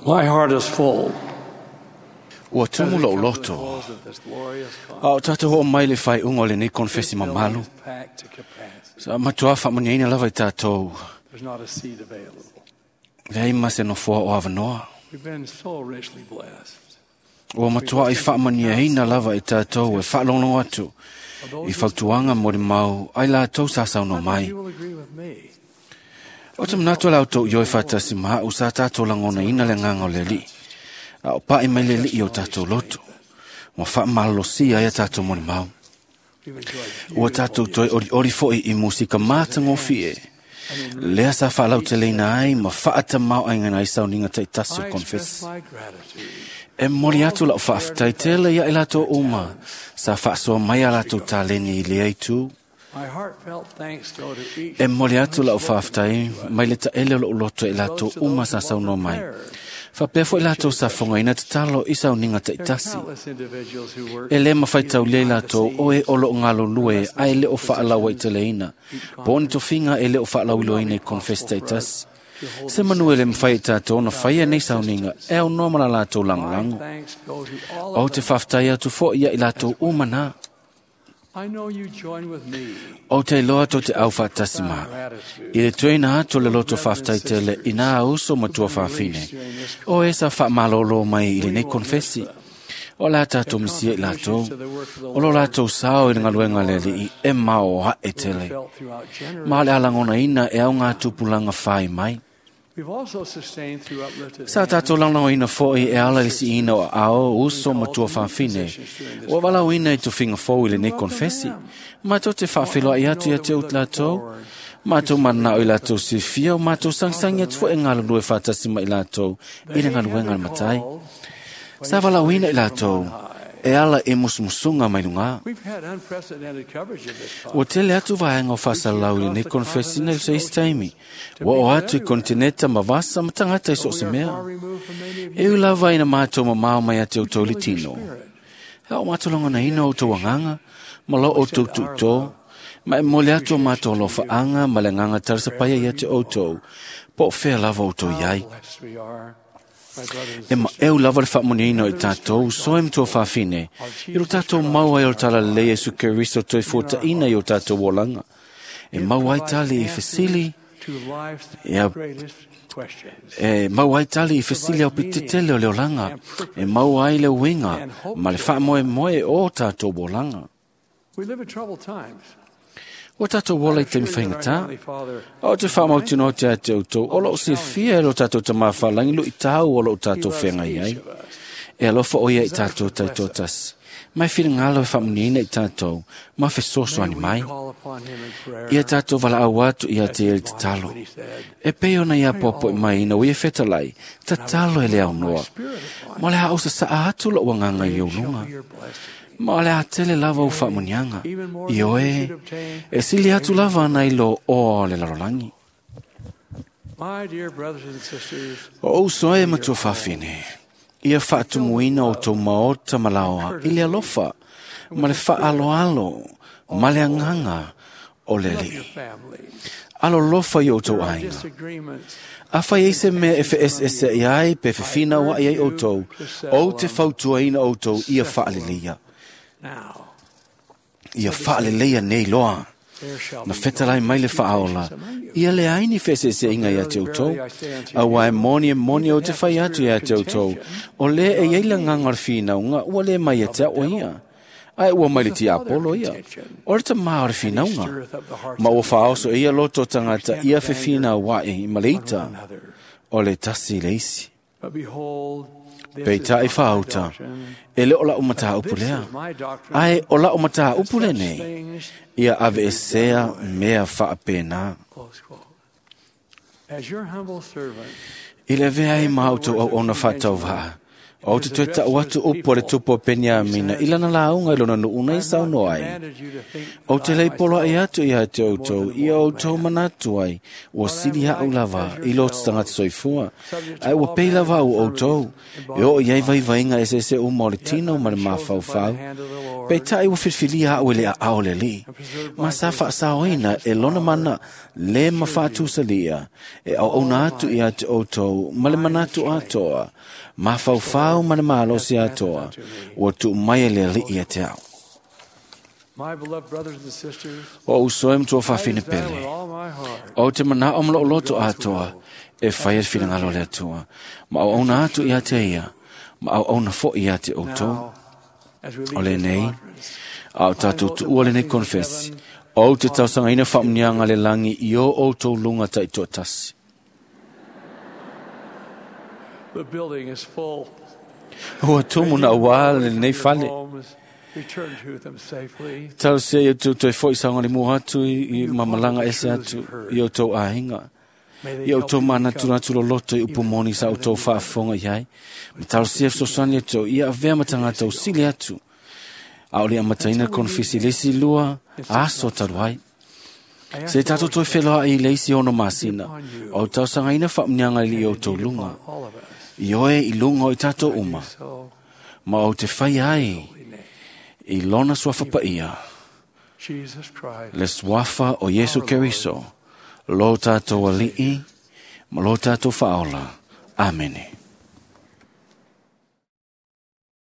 My heart is full. Ua tumu lou loto. A o tātou ho mai le whai unga o le nei konfesi mamalu. Sa matua whaamaniaina lava i tātou. There's not a seat available. Leai ma se nofoa o awanoa. We've been so richly blessed. Ua matua i whaamaniaina lava i tātou e whaalongo atu. I fautuanga mo le mau ai lātou sa saunoa mai. You will agree with me. O te manato lau tau ioi whaatasi maha u sa tātou langona ina le nganga o le li. A o pae mai le li i o tātou loto. Ua whaamalolosia ia tātou mo le mau. We've enjoyed Ua tātou toi ori ori foi i musika mātangōfi e. Lea sa whaalau te leina ai ma whaata mau ai ngana i sauninga tai tasi o I express konfesi. my gratitude E mori atu lau whaaftai tele ia i lātou uma. Sa whaasoa mai a lātou tāleni i lea i tū. My heartfelt thanks go to each E mori atu lau whaaftai mai le taele o lou loto e lātou uma sa saunoa mai. Whapea foi lātou sa whonga ina te talo i sauninga tai There are tasi. countless individuals who work E le mawhai tau le lātou o e olo o ngalo lue a e le o whaalaua i te leina. Po ni tofinga e le o whaalau iloina i konfesi tai tasi. Se manu e le mwhai i tātou na whaia nei sauninga e au noa mala lātou My langolango. thanks go to all O of te them. whaftai atu fo ia i lātou uma nā. I know you join with me. O te loa tō te au whaatasi mā. I le tuina atu le loto whaftai tele i nā uso matua whawhine. O e sa whaamalolo mai i le nei konfesi. O la tātou misia i lātou. O lo lātou sao i le ngaluenga le li i e mao ha e tele. Felt throughout generations. Ma le alangona ina e au ngā tupulanga whai mai. We've also sustained through uplifted Sa tātou langlango ina foi e ala le si ina o ao uso matua whawhine. O walau ina i tufinga fou i le nei konfesi. Mātou te whawhiloa i atu i ate ut lātou. Mātou mana o i lātou si fia o mātou sangsangi atu fo e ngā lulue whātasi mai lātou i le ngaluenga le matai. Sa walau ina i lātou e ala e musumusunga mai lunga. We've had unprecedented coverage of this Ua tele atu vaenga o whasalau i le nei konfesi nei se isi taimi. Ua o atu i kontineta ma vasa ma tangata i so se We are mea. far removed from many of E you. u lava ina mātou ma mao mai ate o tau le tino. Spirit. Hea o mātou longa ina o tau anganga, ma lo o tau tūtō, ma e mole atu o mātou lo whaanga, ma le nganga tarasa paia i ate o tau, po whea lava o tau iai. Blessed we are, my brothers E and ma eu lava le whaamuniino i tātou, soe mtua whawhine, i ro tātou mau ai o tala le Yesu Keristo toi fōta ina i o tātou wolanga. E mau ai tali i fesili, to life's Ia- greatest questions. e mau ai tali i fesili au pitetele o le olanga, e mau ai le uinga, ma le whaamoe moe o tātou wolanga. We live in troubled times. O tātou wola i te Sure that our mwhainga Heavenly Father O te whamau tino te ate o tō, o loo si fia e lo tātou ta mawhalangi lu i tāu o loo He tātou loves whenga i ai. each of us. E alofa o ia i tātou taito tas. Mai whira ngalo e whamuniina i tātou, ma whesoso May ani we mai. call upon him in prayer. Ia tātou wala au atu i a te e te As talo. what he said. E pei ona ia popo i mai ina ui e whetalai, ta talo e le au noa. Ma le hao sa sa atu lo wanganga i Great shall ulunga. be your blessing. Ma le atele lava o whaamunianga. Even more I than you oe, should obtain. e sili atu lava ana i lo o le lalolangi. My dear brothers and sisters, O uso e matua whawhine. Ia whaatumuina o tō maota malaoa i le alofa, ma le whaaloalo, ma le anganga o le love li. your families. Alo lofa i o tō There are ainga. disagreements. A whai e se mea e whaesese i ai pe whiwhina wa i ai o tō, o te fautuaina o tō ia whaaleleia. Now, Ia whaaleleia nei loa. there shall Na be whetalai mai le whaaola. disputations among you. Ia le aini whesese inga ia te utou. A wai moni e moni o te whai atu ia te utou. O le e eila nganga o le whinaunga, ua le mai e te o ia. Ai ua mai le ti apolo ia. O le ta maa o le whinaunga. Stirreth up the hearts Ma ua of whaoso ia loto tangata ia whiwhina wa e i one maleita. another. O le tasi le isi. But behold, this Pei is ta i not my whauta. doctrine. E le o la umata This upulea. is my doctrine. Ai o la umata upule Such nei. things, Ia ave e sea mea whaapena. close quote. As your humble servant, I le vea i māutu au ona whātau vaa. O te toe tau atu upu a le tupu o Peniamina i lana lauga i lona nu'u nei saunoa ai. O te lei poloa'i atu ia te outou ia outou manatu ai ua sili a'u lava i lo te tagata soifua, ae ua pei lava au outou e oo i ai vaivaiga eseese uma o le tino ma le mafaufau. Peita'i ua filifilia a'u e le aao o le Alii, ma sa fa'asaoina e lona mana lē ma fa'atusalia e auauna atu ia te outou ma le manatu atoa, mafaufau ma le malosi atoa, ua tuu mai e le Alii ia te a'u. O uso e matua fa'afine pele, o te mana'o ma lo'u loto atoa e faia le finagalo o le Atua, ma auauna atu ia te ia, ma auauna fo'i ia te outou. O lenei, a o tatou tu'ua lenei konefesi, ou te tausagaina fa'amuniaga le lagi i o outou luga ta'itoatasi. Ua tumu na uā lenei fale. Talosia ia outou toe fo'i saogalemu atu i mamalaga ese atu i outou aiga. Ia outou manatunatu loloto i upu moni sa outou faafofoga i ai. Ma talosia fesoasoani outou ia avea ma tagata usili atu. A o le amataina le konefesi i le isi 2 aso talu ai. Se tatou toe feloa'i i le isi 6 masina, o tausagaina faamuniaga i outou luga, i oe i luga o i tatou uma, ma ou te fai ai i lona suafa paia, le suafa o Iesu Keriso, lo tatou Alii ma lo tatou Faaola. Amene.